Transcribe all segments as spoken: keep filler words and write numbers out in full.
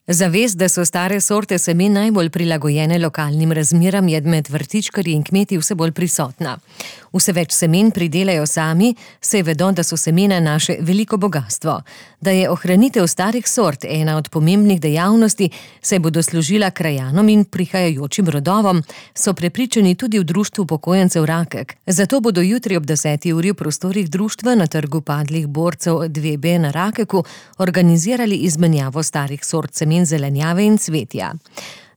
Zavest, da so stare sorte semen najbolj prilagojene lokalnim razmeram, je med vrtičkarji in kmeti vse bolj prisotna. Vse več semen pridelajo sami, saj vedo, da so semena naše veliko bogastvo. Da je ohranitev starih sort ena od pomembnih dejavnosti, saj bodo služila krajanom in prihajajočim rodovom, so prepričani tudi v Društvu upokojencev Rakek. Zato bodo jutri ob deseti uri v prostorih društva na Trgu padlih borcev dve B na Rakeku organizirali izmenjavo starih sort semen zelenjave in cvetja.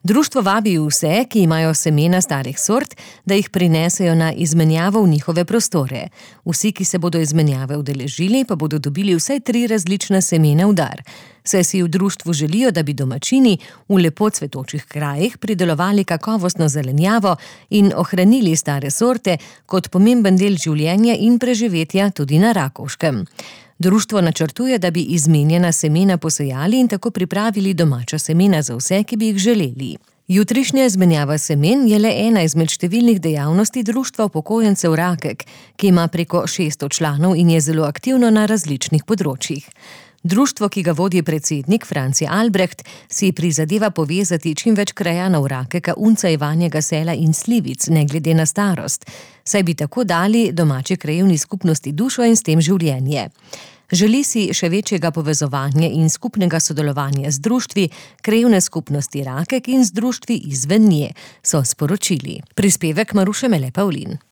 Društvo vabi vse, ki imajo semena starih sort, da jih prinesejo na izmenjavo v njihove prostore. Vsi, ki se bodo izmenjave udeležili, pa bodo dobili vsaj tri različna semena v dar. Saj si v društvu želijo, da bi domačini v lepo cvetočih krajih pridelovali kakovostno zelenjavo in ohranili stare sorte kot pomemben del življenja in preživetja tudi na Rakovškem. Društvo načrtuje, da bi izmenjena semena posejali in tako pripravili domača semena za vse, ki bi jih želeli. Jutrišnja izmenjava semen je le ena izmed številnih dejavnosti Društva upokojencev Rakek, ki ima preko šeststo članov in je zelo aktivno na različnih področjih. Društvo, ki ga vodi predsednik Franci Albreht, si prizadeva povezati čim več krajanov Rakeka, Unca, Ivanjega Sela in Slivic, ne glede na starost, saj bi tako dali domači krajevni skupnosti dušo in s tem življenje. Želi si še večjega povezovanja in skupnega sodelovanja z društvi, krajevne skupnosti Rakek in z društvi izven nje, so sporočili. Prispevek Maruše Mele Pavlin.